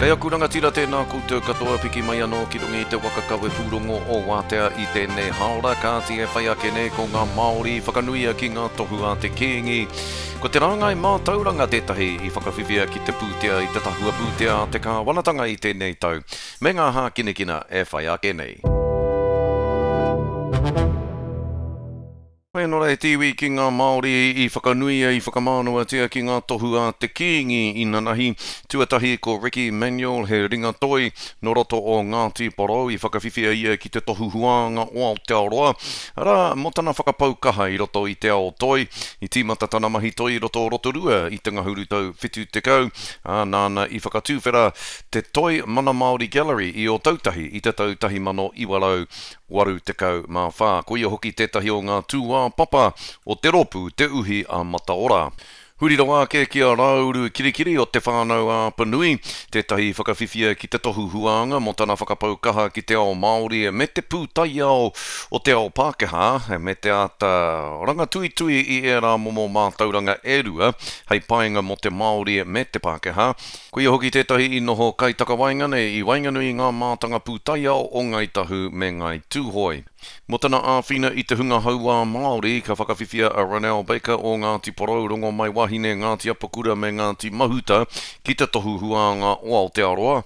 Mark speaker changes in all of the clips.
Speaker 1: Kei aku rangatira tēnā koutou katoa piki mai anō ki runga i te waka kawe pūrongo o Wātea i tēnei haora, kāti e whai ake nei ko ngā Māori i whakanuia ki ngā tohu a te Kīngi. Ko te rāngai mātauranga tētahi i whakawhiwhia ki te pūtea i te tahua pūtea a te kāwanatanga i tēnei tau, me ngā hākinakina e whai ake nei. Whenora e te iwi ki ngā Māori i whakanuia, i whakamānawatia ki ngā tohu a te Kīngi inanahi. Tuatahi ko Ricky Manuel, he ringa toi nō roto o Ngāti Porou i whakawhiwhia ia ki te tohu huānga o Aotearoa, arā, mō tana whakapau kaha i roto i te ao toi. I tīmata tana mahi toi i roto o Rotorua i te ngahuru tau 70, ā, nāna i whakatuwhera te Toi Mana Māori Gallery i Ōtautahi i te tau 1900. 84. Ko ia hoki tētahi o ngā tūāpapa o te rōpū Te Uhi a Mataora. Huri rawa ake ki a Rāuru Kirikiri o Te Whānau-a-Apanui, tētahi i whakawhiwhia ki te tohu huānga mō tana whakapau kaha ki te ao Māori me te pūtaiao o te ao Pākehā, me te āta rangatuitui i ērā momo mātauranga e rua hei painga mō te Māori me te Pākehā. Ko ia hoki tētahi i noho kaitakawaenga nei i waenganui i ngā mātanga pūtaiao o Ngāi Tahu me Ngāi Tūhoe. Mō tana āwhina i te hunga hauā Māori, ka whakawhiwhia a Ronel Baker o Ngāti Porou, Rongomaiwahine, Ngāti Apakura me Ngāti Mahuta ki te Tohu Huānga o Aotearoa.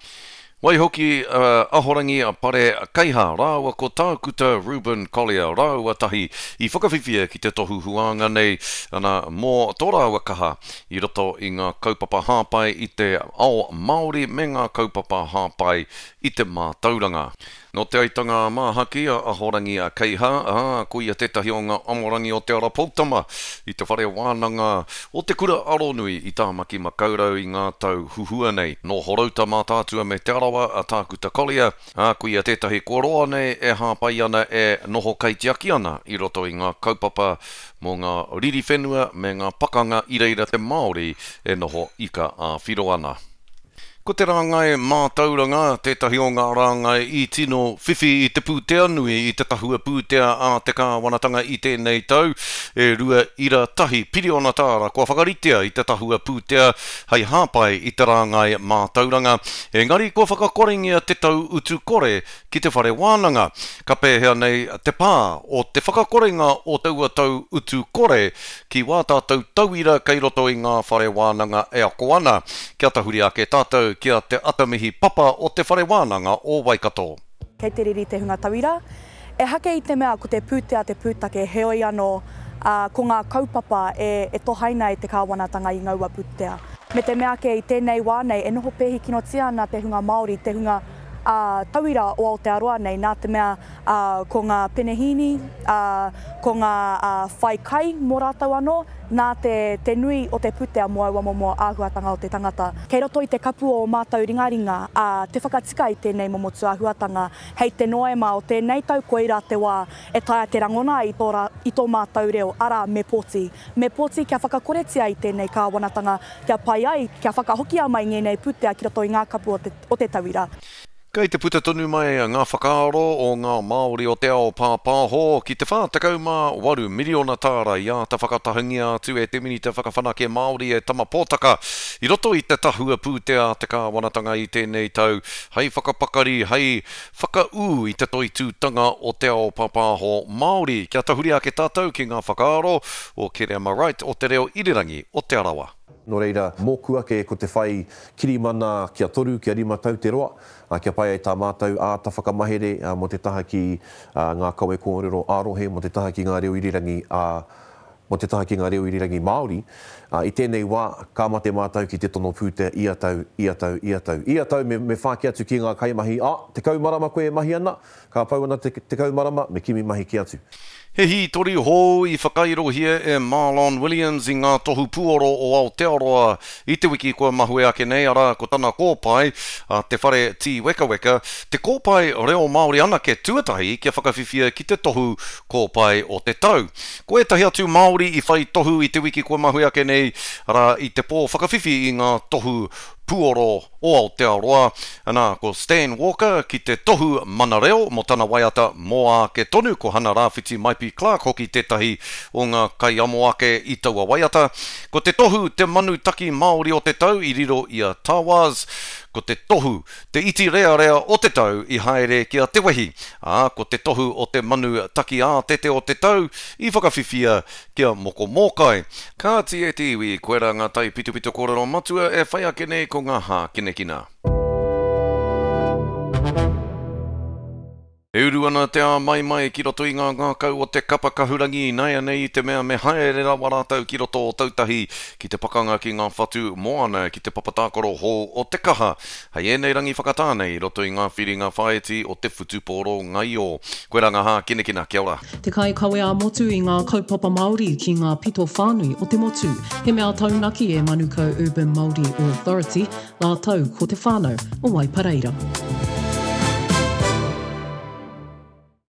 Speaker 1: Waihoki a Ahorangi Pare Keiha rāua ko Tākuta Reuben Collier rāua tahi i whakawhiwhia ki te tohu huānga nei, ana, mō tō rāua kaha i roto i ngā kaupapa hāpai i te ao Māori me ngā kaupapa hāpai i te mātauranga. Nō Te Aitanga-a-Māhaki a Ahorangi Keiha, ā, ko ia tētahi o ngā amorangi o Te Ara Poutama i te whare wānanga o Te Kura Aronui i Tāmaki Makaurau i ngā tau huhua nei. Nō Horouta Mātaatua me Te Arawa a Tākuta Collier, ā, ko ia tētahi kua roa nei e hāpai ana e noho kaitiaki ana i roto i ngā kaupapa mō ngā riri whenua me ngā pakanga i reira te Māori e noho ika ā-whiro ana. Ko te rāngai mātauranga tētahi o ngā rāngai i tino whiwhi i te pūtea nui i te tahua pūtea a te kāwanatanga i tēnei tau, e 2.1 piriona tāra kua whakaritea i te tahua pūtea hei hāpai i te rāngai mātauranga, engari kua whakakorengia te tau utu kore ki te whare wānanga. Ka pēhea nei te pā o te whakakorenga o taua tau utu kore ki wā tātou tauira kei roto i ngā whare wānanga e ako ana? Kia tahuri ake tātou ki a Te Atamihi Papa o Te Whare Wānanga o Waikato.
Speaker 2: Kei te riri te hunga tauira. Ehake i te mea ko te pūtea te pūtake, heoi anō, ā, ko ngā kaupapa e, e tohaina e te kāwanatanga i ngaua pūtea. Me te mea ake i tēnei wā nei e noho pēhi kinotia ana te hunga Māori, te hunga, ā, tauira o Aotearoa nei, nā te mea, ā, ko ngā penehīni, ā, ko ngā, ā, whai kai mō rātou anō, nā te, te nui o te pūtea mō aua momo āhuatanga o te tangata. Kei roto i te kapu o ō mātou ringaringa, ā, te whakatika i tēnei momo tūāhuatanga, hei te Noema o tēnei tau koirā te wā e taea te rangona ai i tō rā, i tō mātou reo, arā, me pōti. Me pōti kia whakakoretia i tēnei kāwanatanga, kia pai ai, kia whakahokia mai ngēnei pūtea ki roto i ngā kapu o te, o te tauira.
Speaker 1: Kei te puta tonu mai ngā whakaaro o ngā Māori o te ao pāpāho ki te 48 miriona tāra i āta whakatahangia atu e te Minita Whakawhanake Māori e Tama Potaka i roto i te tahua pūtea a te kāwanatanga i tēnei tau hei whakapakari, hei whakaū i te toitūtanga o te ao pāpāho Māori. Kia tahuri ake tātou ki ngā whakaaro o Kereama Wright o Te Reo Irirangi o Te Arawa.
Speaker 3: Nō reira, mōku ake ko te whai kirimana kia toru, kia rima tau te roa, kia pai ai tā mātou āta whakamahere mō te taha ki ngā kawe kōrero ā-rohe, mō te taha ki ngā reo irirangi ā, mō te taha ki ngā reo irirangi Māori. I tēnei wā, ka mate mātou ki te tono pūtea ia tau, ia tau, ia tau. Ia tau me, me whāki atu ki ngā kaimahi, ā, 10 marama koe e mahi ana, ka pau ana te 10 marama, me kimi mahi kē atu.
Speaker 1: He hītori hou i whakairohia e Marlon Williams i ngā tohu puoro o Aotearoa i te wiki kua mahue ake nei, arā, ko tana kōpae, a Te Whare Tīwekaweka, te kōpae reo Māori anake tuatahi kia whakawhiwhia ki te tohu kōpae o te tau. Ko ētahi atu Māori i whai tohu i te wiki kua mahue ake nei, arā, i te pō whakawhiwhi i ngā tohu. Puoro o Aotearoa, anā, ko Stan Walker ki te tohu Mana Reo mō tana waiata Mō Āke Tonu, ko Hana Rāwhiti Maipi Clarke hoki tētahi o ngā kaiamo ake i taua waiata. Ko te tohu Te Manu Taki Māori o te Tau i riro i a Tawaz, ko te tohu Te Iti Rearea o te Tau i haere ki a Te Wehi, ā, ko te tohu o Te Manu Taki Ātete o te Tau i whakawhiwhia ki a Moko Mōkai. Kāti e te iwi, koirā ngā taipitopito kōrero matua e whai ake nei ko ngā hākinakina. E uru ana te āmaimai ki roto i ngā ngākau o te kapa kahurangi ināianei i te mea me haere rawa rātou ki roto o Tautahi ki te pakanga ki ngā whatu moana ki te papa tākaro hou o Te Kaha hei ēnei rangi whakatā nei i roto i ngā whiringa whāiti o te whutupōro ngaio. Koirā ngā hākinakina, kia ora.
Speaker 4: Te kaikawe ā-motu i ngā kaupapa Māori ki ngā pito whānui o te motu. He mea taunaki e Manukau Urban Māori Authority rātou ko te whānau o Waipareira.